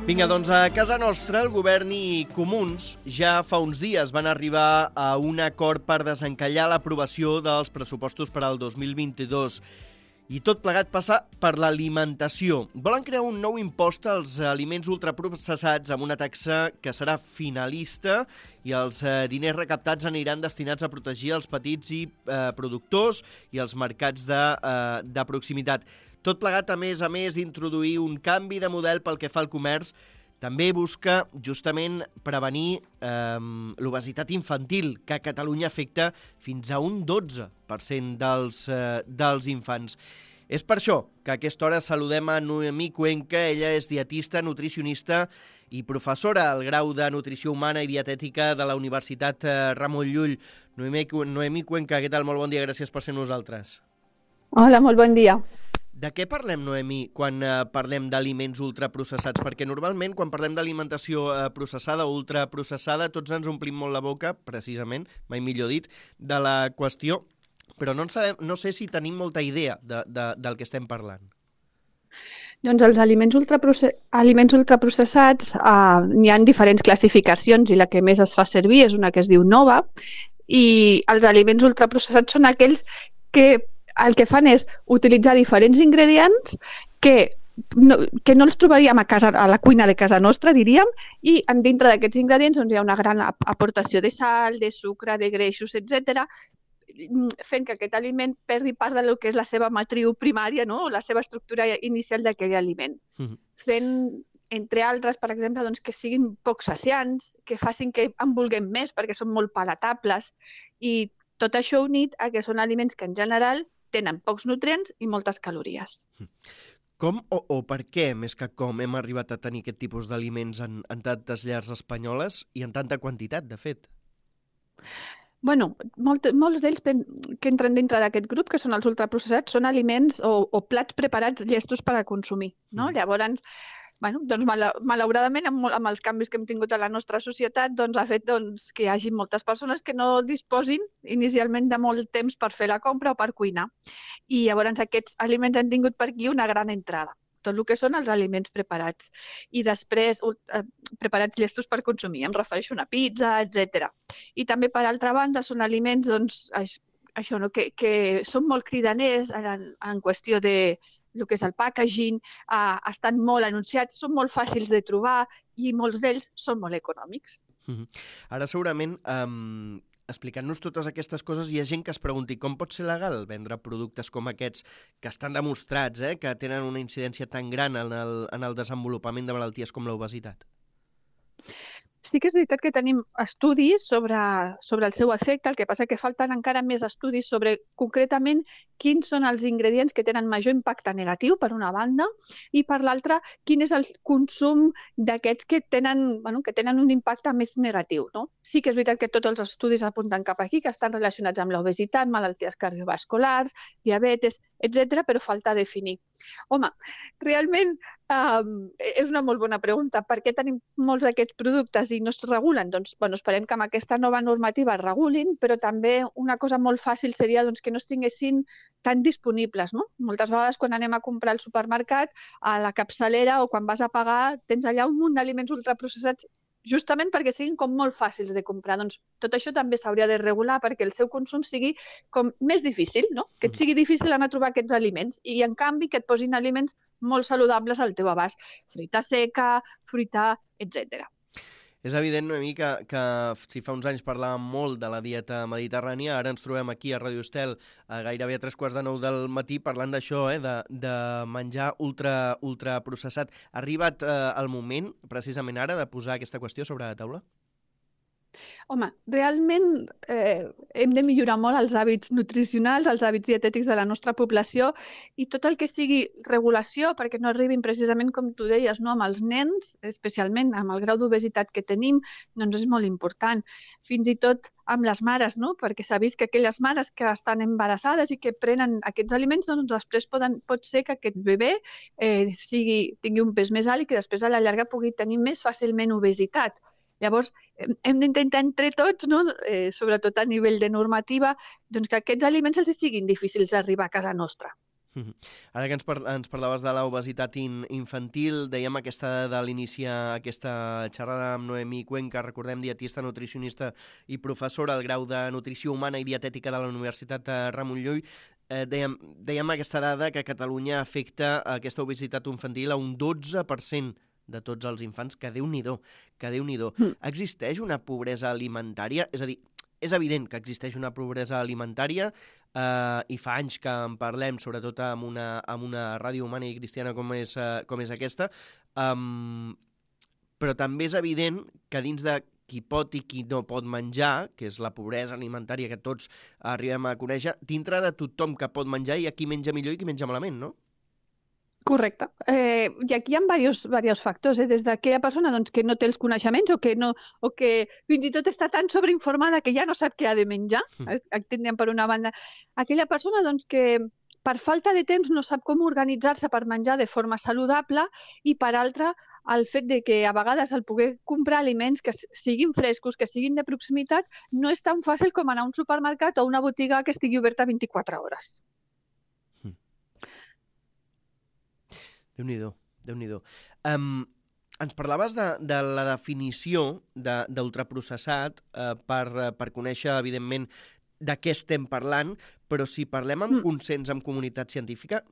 Vinga, doncs a casa nostra el govern i Comuns ja fa uns dies van arribar a un acord per desencallar l'aprovació dels pressupostos per al 2022. I tot plegat passa per l'alimentació. Volen crear un nou impost als aliments ultraprocessats amb una taxa que serà finalista i els diners recaptats aniran destinats a protegir els petits i productors i els mercats de proximitat. Tot plegat, a més d'introduir un canvi de model pel que fa al comerç, també busca justament prevenir l'obesitat infantil, que a Catalunya afecta fins a un 12% dels infants. És per això que a aquesta hora saludem a Noemí Cuenca. Ella és dietista, nutricionista i professora al grau de Nutrició Humana i Dietètica de la Universitat Ramon Llull. Noemí Cuenca, què tal? Molt bon dia, gràcies per ser amb nosaltres. Hola, molt bon dia. De què parlem, Noemí, quan parlem d'aliments ultraprocessats? Perquè normalment, quan parlem d'alimentació processada o ultraprocessada, tots ens omplim molt la boca, precisament, mai millor dit, de la qüestió, però no sé si tenim molta idea del que estem parlant. Doncs els aliments ultraprocessats n'hi ha diferents classificacions i la que més es fa servir és una que es diu Nova, i els aliments ultraprocessats són aquells que el que fan és utilitzar diferents ingredients que no els trobaríem a la cuina de casa nostra, diríem, i dintre d'aquests ingredients hi ha una gran aportació de sal, de sucre, de greixos, etc., fent que aquest aliment perdi part del que és la seva matriu primària, no? La seva estructura inicial d'aquell aliment. Fent, entre altres, per exemple, que siguin poc saciants, que facin que en vulguem més perquè són molt palatables, i tot això unit a que són aliments que en general tenen pocs nutrients i moltes calories. Com o per què, més que com, hem arribat a tenir aquest tipus d'aliments en tantes llars espanyoles i en tanta quantitat, de fet? Bueno, molts d'ells que entren dintre d'aquest grup, que són els ultraprocessats, són aliments o plats preparats llestos per a consumir, no? Llavors, doncs malauradament, amb els canvis que hem tingut a la nostra societat, ha fet que hi hagi moltes persones que no disposin inicialment de molt temps per fer la compra o per cuinar. I llavors aquests aliments han tingut per aquí una gran entrada, tot el que són els aliments preparats. I després, preparats llestos per consumir, em refereixo a una pizza, etc. I també, per altra banda, són aliments que són molt cridaners en qüestió de el que és el packaging, estan molt anunciats, són molt fàcils de trobar i molts d'ells són molt econòmics. Ara segurament, explicant-nos totes aquestes coses, hi ha gent que es pregunti com pot ser legal vendre productes com aquests que estan demostrats, que tenen una incidència tan gran en el desenvolupament de malalties com l'obesitat? Sí que és veritat que tenim estudis sobre el seu efecte, el que passa que falten encara més estudis sobre concretament quins són els ingredients que tenen major impacte negatiu, per una banda, i per l'altra, quin és el consum d'aquests que tenen un impacte més negatiu, no? Sí que és veritat que tots els estudis apunten cap aquí, que estan relacionats amb l'obesitat, malalties cardiovasculars, diabetes, etc., però falta definir. Home, realment és una molt bona pregunta. Per què tenim molts d'aquests productes i no es regulen? Doncs esperem que amb aquesta nova normativa es regulin, però també una cosa molt fàcil seria que no es tinguessin tan disponibles, no? Moltes vegades quan anem a comprar al supermercat, a la capçalera o quan vas a pagar, tens allà un munt d'aliments ultraprocessats justament perquè siguin com molt fàcils de comprar. Doncs tot això també s'hauria de regular perquè el seu consum sigui com més difícil, no? Que et sigui difícil anar a trobar aquests aliments i, en canvi, que et posin aliments molt saludables al teu abast. Fruita seca, fruita, etc. És evident, Noemí, que si fa uns anys parlàvem molt de la dieta mediterrània, ara ens trobem aquí a Radio Estel gairebé a 8:45 del matí parlant d'això, de menjar ultraprocessat. Ha arribat el moment, precisament ara, de posar aquesta qüestió sobre la taula? Home, realment hem de millorar molt els hàbits nutricionals, els hàbits dietètics de la nostra població i tot el que sigui regulació perquè no arribin precisament, com tu deies, no, amb els nens, especialment amb el grau d'obesitat que tenim, doncs és molt important. Fins i tot amb les mares, no? Perquè s'ha vist que aquelles mares que estan embarassades i que prenen aquests aliments, doncs després pot ser que aquest bebè tingui un pes més alt i que després a la llarga pugui tenir més fàcilment obesitat. Llavors, hem d'intentar entre tots, no? Sobretot a nivell de normativa, doncs que aquests aliments els siguin difícils d'arribar a casa nostra. Ara que ens parlaves de l'obesitat infantil, dèiem aquesta de l'iniciar aquesta xerrada amb Noemí Cuenca, recordem, dietista, nutricionista i professora al grau de Nutrició Humana i Dietètica de la Universitat Ramon Llull. Dèiem aquesta dada que a Catalunya afecta aquesta obesitat infantil a un 12% de tots els infants, que Déu-n'hi-do, que Déu-n'hi-do. Existeix una pobresa alimentària? És a dir, és evident que existeix una pobresa alimentària i fa anys que en parlem, sobretot amb una ràdio humana i cristiana com és aquesta, però també és evident que dins de qui pot i qui no pot menjar, que és la pobresa alimentària que tots arribem a conèixer, dintre de tothom que pot menjar hi ha qui menja millor i qui menja malament, no? Correcte. I aquí hi ha diversos factors, des d'aquella persona que no té els coneixements o que fins i tot està tan sobreinformada que ja no sap què ha de menjar, tindríem per una banda. Aquella persona que per falta de temps no sap com organitzar-se per menjar de forma saludable i per altra el fet de que a vegades el poder comprar aliments que siguin frescos, que siguin de proximitat, no és tan fàcil com anar a un supermercat o a una botiga que estigui oberta 24 hores. Déu-n'hi-do, Déu-n'hi-do. Ens parlaves de la definició d'ultraprocessat per conèixer, evidentment, de què estem parlant, però si parlem amb consens, amb comunitat científica,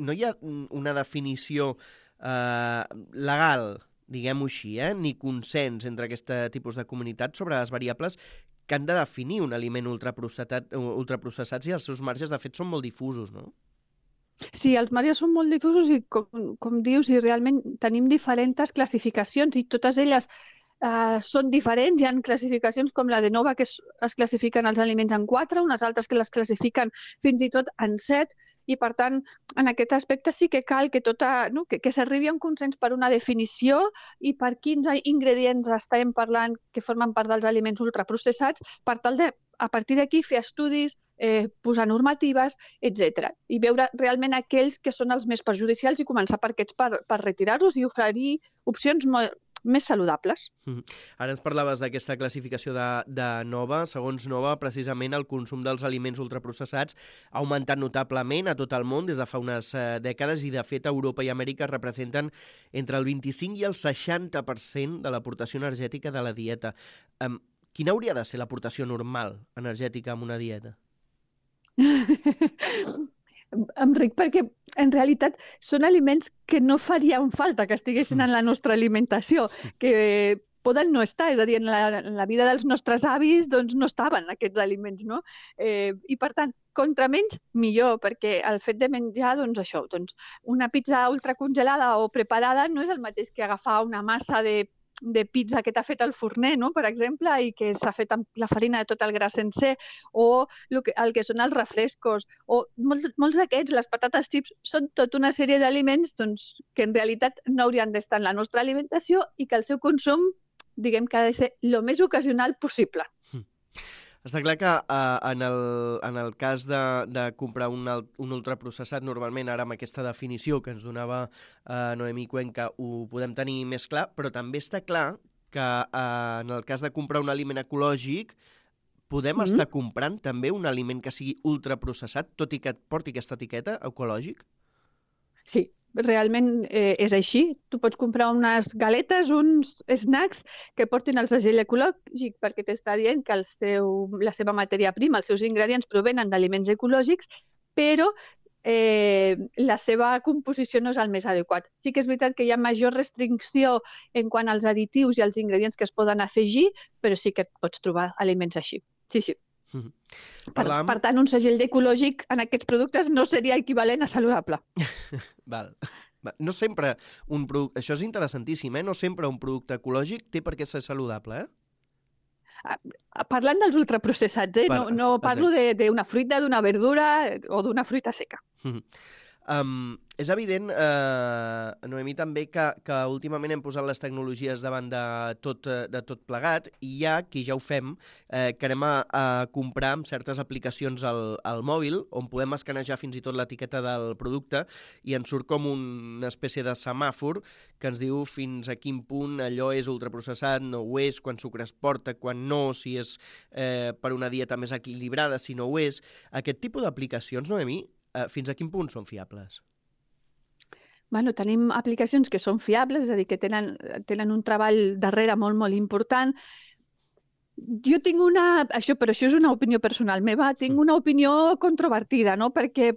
no hi ha una definició legal, diguem-ho així, ni consens entre aquest tipus de comunitat sobre les variables que han de definir un aliment ultraprocessat i els seus marges, de fet, són molt difusos, no? Sí, els marges són molt difusos i, com dius, i realment tenim diferents classificacions i totes elles són diferents. Hi ha classificacions com la de Nova que es classifiquen els aliments en 4, unes altres que les classifiquen fins i tot en 7 i, per tant, en aquest aspecte sí que cal que s'arribi a un consens per una definició i per quins ingredients estem parlant que formen part dels aliments ultraprocessats per tal de, a partir d'aquí, fer estudis, posar normatives, etc. I veure realment aquells que són els més perjudicials i començar per aquests per retirar-los i oferir opcions més saludables. Ara ens parlaves d'aquesta classificació de Nova. Segons Nova, precisament el consum dels aliments ultraprocessats ha augmentat notablement a tot el món des de fa unes dècades i, de fet, Europa i Amèrica representen entre el 25 i el 60% de l'aportació energètica de la dieta. Quina hauria de ser l'aportació normal energètica en una dieta? Enric, perquè en realitat són aliments que no farien falta que estiguessin en la nostra alimentació, que poden no estar, és a dir, en la vida dels nostres avis no estaven aquests aliments, no? I per tant, contra menys, millor, perquè el fet de menjar, una pizza ultracongelada o preparada no és el mateix que agafar una massa de pizza que t'ha fet el forner, no? Per exemple, i que s'ha fet amb la farina de tot el gra sencer, o el que són els refrescos, o molts d'aquests, les patates chips, són tota una sèrie d'aliments que en realitat no haurien d'estar en la nostra alimentació i que el seu consum, diguem que ha de ser el més ocasional possible. Està clar que en el cas de comprar un ultraprocessat, normalment ara amb aquesta definició que ens donava Noemí Cuenca ho podem tenir més clar, però també està clar que en el cas de comprar un aliment ecològic podem estar comprant també un aliment que sigui ultraprocessat, tot i que porti aquesta etiqueta ecològic? Sí. Realment és així. Tu pots comprar unes galetes, uns snacks que portin el segell ecològic perquè t'està dient que la seva matèria prima, els seus ingredients provenen d'aliments ecològics, però la seva composició no és el més adequat. Sí que és veritat que hi ha major restricció en quant als additius i als ingredients que es poden afegir, però sí que pots trobar aliments així. Sí, sí. Per tant, un segell d'ecològic en aquests productes no seria equivalent a saludable. Val. No sempre un producte... Això és interessantíssim, No sempre un producte ecològic té per què ser saludable, Parlant dels ultraprocessats, no parlo d'una fruita, d'una verdura o d'una fruita seca. És evident, Noemí, també que últimament hem posat les tecnologies davant de tot plegat i hi ha qui ja ho fem, que anem a comprar amb certes aplicacions al mòbil on podem escanejar fins i tot l'etiqueta del producte i ens surt com una espècie de semàfor que ens diu fins a quin punt allò és ultraprocessat, no ho és, quan sucre es porta, quan no, si és per una dieta més equilibrada, si no ho és. Aquest tipus d'aplicacions, Noemí, fins a quin punt són fiables? Bueno, tenim aplicacions que són fiables, és a dir, que tenen un treball darrere molt, molt important. Jo tinc però això és una opinió personal meva, tinc una opinió controvertida, no? Perquè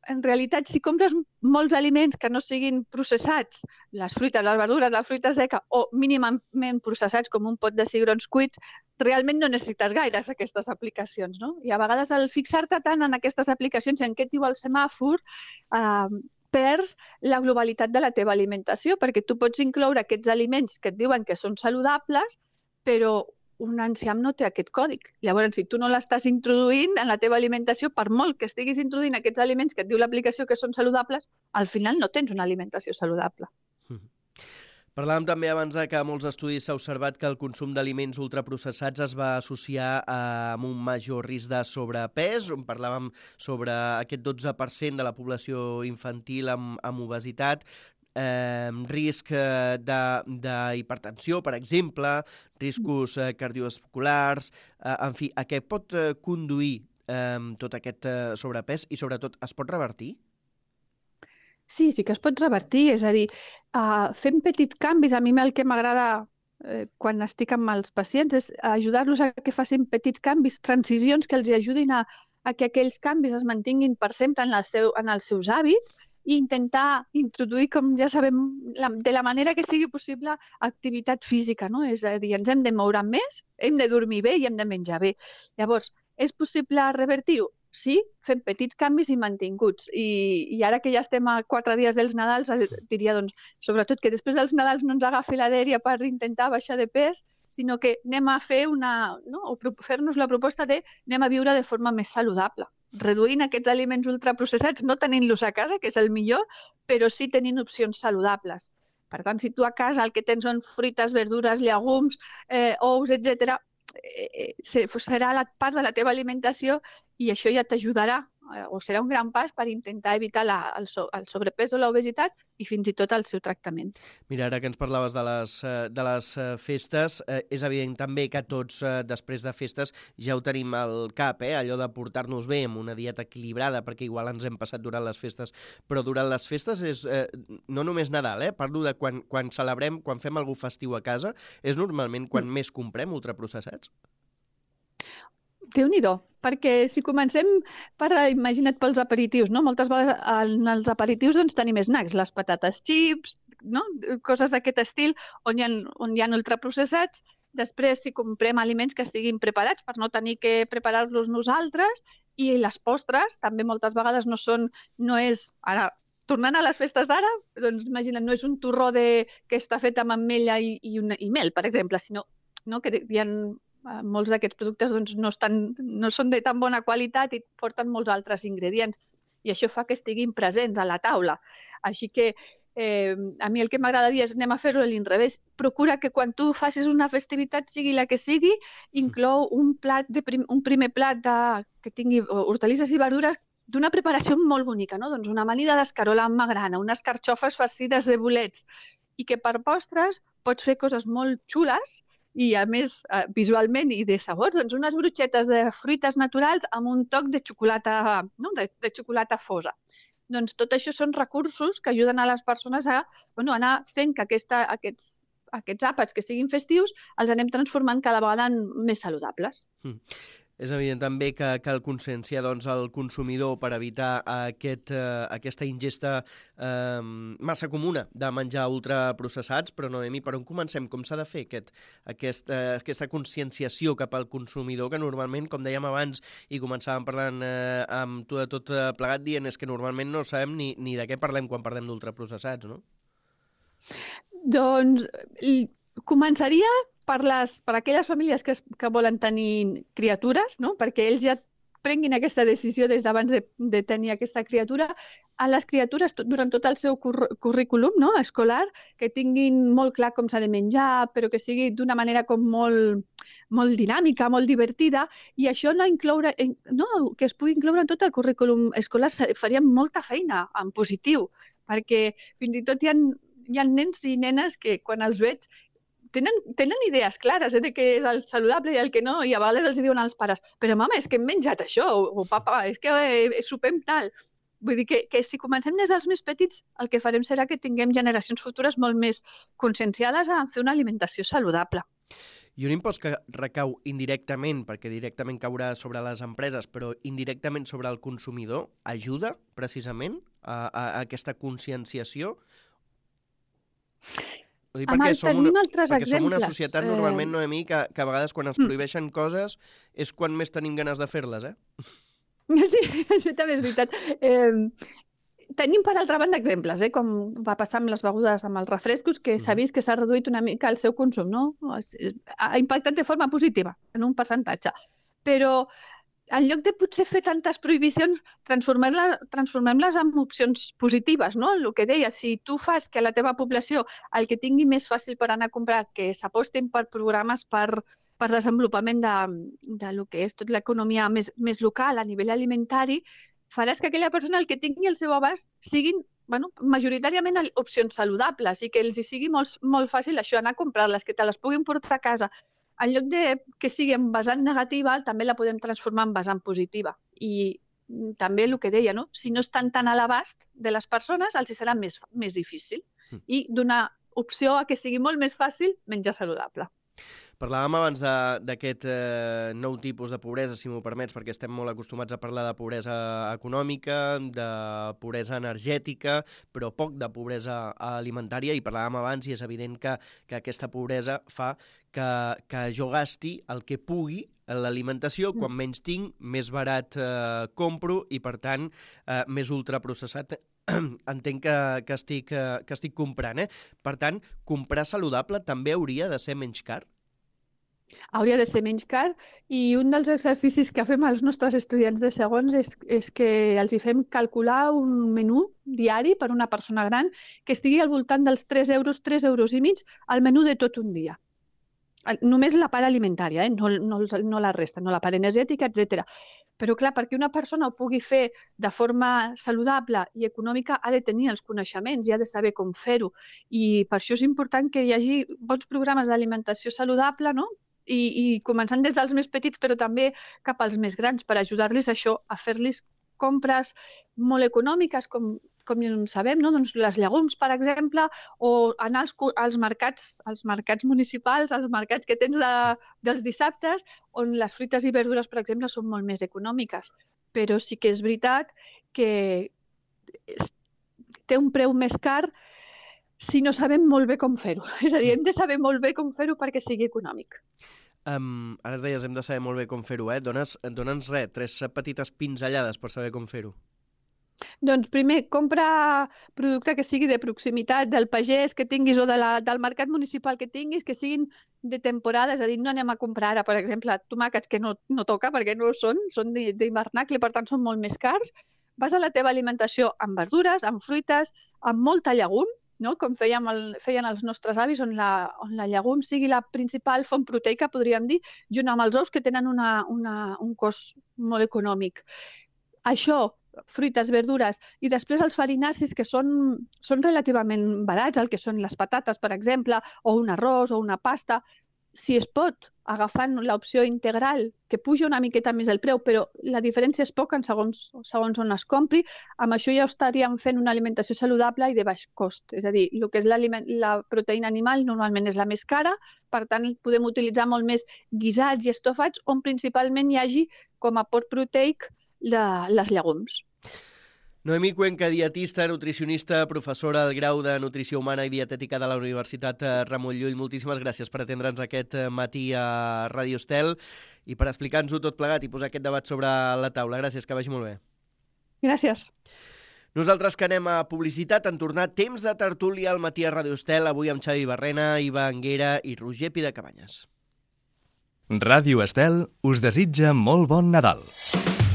en realitat, si compres molts aliments que no siguin processats, les fruites, les verdures, la fruita seca, o mínimament processats com un pot de cigrons cuits, realment no necessites gaires aquestes aplicacions, no? I a vegades al fixar-te tant en aquestes aplicacions i en què et diu el semàfor, perds la globalitat de la teva alimentació, perquè tu pots incloure aquests aliments que et diuen que són saludables, però un enciam no té aquest còdic. Llavors, si tu no l'estàs introduint en la teva alimentació, per molt que estiguis introduint aquests aliments que et diu l'aplicació que són saludables, al final no tens una alimentació saludable. Parlàvem també abans que a molts estudis s'ha observat que el consum d'aliments ultraprocessats es va associar amb un major risc de sobrepès. Parlàvem sobre aquest 12% de la població infantil amb obesitat, risc d'hipertensió, per exemple, riscos cardiovasculars, en fi, a què pot conduir tot aquest sobrepès i, sobretot, es pot revertir? Sí que es pot revertir, és a dir, fent petits canvis. A mi el que m'agrada quan estic amb els pacients és ajudar-los a que facin petits canvis, transicions que els ajudin a que aquells canvis es mantinguin per sempre en els seus hàbits i intentar introduir, com ja sabem, de la manera que sigui possible, activitat física, no? És a dir, ens hem de moure més, hem de dormir bé i hem de menjar bé. Llavors, és possible revertir-ho? Sí, fent petits canvis i mantinguts. I ara que ja estem a 4 dies dels Nadals, diria, doncs, sobretot que després dels Nadals no ens agafi la dèria per intentar baixar de pes, sinó que anem a fer fer-nos la proposta de anem a viure de forma més saludable, reduint aquests aliments ultraprocessats, no tenint-los a casa, que és el millor, però sí tenint opcions saludables. Per tant, si tu a casa el que tens són fruites, verdures, llegums, ous, etc., serà la part de la teva alimentació i això ja t'ajudarà o serà un gran pas per intentar evitar el sobrepès o l'obesitat i fins i tot el seu tractament. Mira, ara que ens parlaves de les festes, és evident també que tots després de festes ja ho tenim al cap, allò de portar-nos bé amb una dieta equilibrada, perquè igual ens hem passat durant les festes, però durant les festes és no només Nadal, parlo de quan celebrem, quan fem algú festiu a casa, és normalment quan més comprem ultraprocessats? Déu-n'hi-do, perquè si comencem imagina't pels aperitius, no? Moltes vegades en els aperitius doncs, tenim snacks, les patates xips, no? Coses d'aquest estil on hi ha ultraprocessats. Després, si comprem aliments que estiguin preparats per no tenir que preparar-los nosaltres, i les postres també moltes vegades no és... Ara, tornant a les festes d'ara, doncs imagina't, no és un torró que està fet amb ametlla i mel, per exemple, sinó que hi ha... molts d'aquests productes doncs, no són de tan bona qualitat i porten molts altres ingredients i això fa que estiguin presents a la taula. Així que a mi el que m'agrada dir és anem a fer-ho a l'inrevés. Procura que quan tu facis una festivitat, sigui la que sigui, inclou un primer plat que tingui hortalisses i verdures d'una preparació molt bonica, no? Doncs una amanida d'escarola amb magrana, unes carxofes farcides de bolets i que per postres pots fer coses molt xules i, a més, visualment i de sabor, doncs unes brutxetes de fruites naturals amb un toc de xocolata, no? de xocolata fosa. Doncs tot això són recursos que ajuden a les persones a anar fent que aquests àpats que siguin festius els anem transformant cada vegada en més saludables. És evident també que cal conscienciar el consumidor per evitar aquesta ingesta massa comuna de menjar ultraprocessats, però Noemi, per on comencem? Com s'ha de fer aquesta conscienciació cap al consumidor que normalment, com dèiem abans, i començàvem parlant amb tu de tot plegat dient, és que normalment no sabem ni de què parlem quan parlem d'ultraprocessats, no? Doncs començaria per aquelles famílies que volen tenir criatures, no? Perquè ells ja prenguin aquesta decisió des d'abans de tenir aquesta criatura. A les criatures, durant tot el seu currículum escolar, que tinguin molt clar com s'ha de menjar, però que sigui d'una manera com molt dinàmica, molt divertida, i això que es pugui incloure en tot el currículum escolar faria molta feina en positiu, perquè fins i tot hi ha nens i nenes que quan els veig tenen idees clares de què és el saludable i el que no, i a vegades els diuen als pares però mama, és que hem menjat això, o papa, és que sopem tal. Vull dir que si comencem des dels més petits, el que farem serà que tinguem generacions futures molt més conscienciades a fer una alimentació saludable. I un impost que recau indirectament, perquè directament caurà sobre les empreses, però indirectament sobre el consumidor, ajuda precisament a aquesta conscienciació? Amal, tenim altres exemples. Som una societat normalment, Noemí, que a vegades quan ens prohibeixen coses és quan més tenim ganes de fer-les, Sí, això també és veritat. Tenim, per altra banda, exemples, com va passar amb les begudes, amb els refrescos, que s'ha vist que s'ha reduït una mica el seu consum, no? Ha impactat de forma positiva, en un percentatge. Però en lloc de potser fer tantes prohibicions, transformem-les en opcions positives, no? El que deia, si tu fas que la teva població el que tingui més fàcil per anar a comprar, que s'apostin per programes per desenvolupament de lo que és tot l'economia més local a nivell alimentari, faràs que aquella persona el que tingui al seu abast siguin majoritàriament opcions saludables i que els hi sigui molt fàcil això, anar a comprar-les, que te les puguin portar a casa. En lloc de que sigui en vessant negativa, també la podem transformar en vessant positiva. I també el que deia, no? Si no estan tan a l'abast de les persones, els hi serà més difícil. I donar opció a que sigui molt més fàcil menjar saludable. Parlàvem abans d'aquest nou tipus de pobresa, si m'ho permets, perquè estem molt acostumats a parlar de pobresa econòmica, de pobresa energètica, però poc de pobresa alimentària, i parlàvem abans i és evident que aquesta pobresa fa que jo gasti el que pugui en l'alimentació, quan menys tinc, més barat compro i, per tant, més ultraprocessat entenc que estic comprant. Per tant, comprar saludable també hauria de ser menys car? Hauria de ser menys car, i un dels exercicis que fem als nostres estudiants de segons és que els hi fem calcular un menú diari per una persona gran que estigui al voltant dels 3 euros, 3,5 euros al menú de tot un dia. Només la part alimentària, no la resta, no la part energètica, etc. Però, clar, perquè una persona ho pugui fer de forma saludable i econòmica ha de tenir els coneixements i ha de saber com fer-ho. I per això és important que hi hagi bons programes d'alimentació saludable, no? I començant des dels més petits, però també cap als més grans, per ajudar-los això, a fer-los compres molt econòmiques, com sabem, no? Doncs les llegums, per exemple, o anar als mercats municipals, als mercats que tens dels dissabtes, on les fruites i verdures, per exemple, són molt més econòmiques. Però sí que és veritat que té un preu més car si no sabem molt bé com fer-ho. És a dir, hem de saber molt bé com fer-ho perquè sigui econòmic. Ara es deies, hem de saber molt bé com fer-ho, Dóna'ns 3 petites pinzellades per saber com fer-ho. Doncs primer, compra producte que sigui de proximitat, del pagès que tinguis o del mercat municipal que tinguis, que siguin de temporada, és a dir, no anem a comprar ara, per exemple, tomàquets que no toca perquè no són d'hivernacle, per tant són molt més cars. Vas a la teva alimentació amb verdures, amb fruites, amb molta llegum, no? Com feien els nostres avis, on la llegum sigui la principal font proteica, podríem dir, junt amb els ous que tenen un cost molt econòmic. Això, fruites, verdures, i després els farinacis, que són relativament barats, el que són les patates, per exemple, o un arròs o una pasta. Si es pot, agafant l'opció integral, que puja una miqueta més el preu, però la diferència és poca segons on es compri, amb això ja estaríem fent una alimentació saludable i de baix cost. És a dir, el que és la proteïna animal normalment és la més cara, per tant podem utilitzar molt més guisats i estofats, on principalment hi hagi com a aport proteic de les llegums. Noemí Cuenca, dietista, nutricionista, professora del grau de Nutrició Humana i Dietètica de la Universitat Ramon Llull. Moltíssimes gràcies per atendre'ns aquest matí a Ràdio Estel i per explicar-nos-ho tot plegat i posar aquest debat sobre la taula. Gràcies, que vagi molt bé. Gràcies. Nosaltres que anem a publicitat, han tornat temps de tertúlia al matí a Ràdio Estel, avui amb Xavi Barrena, Iva Anguera i Roger Pidecabanyes. Ràdio Estel us desitja molt bon Nadal.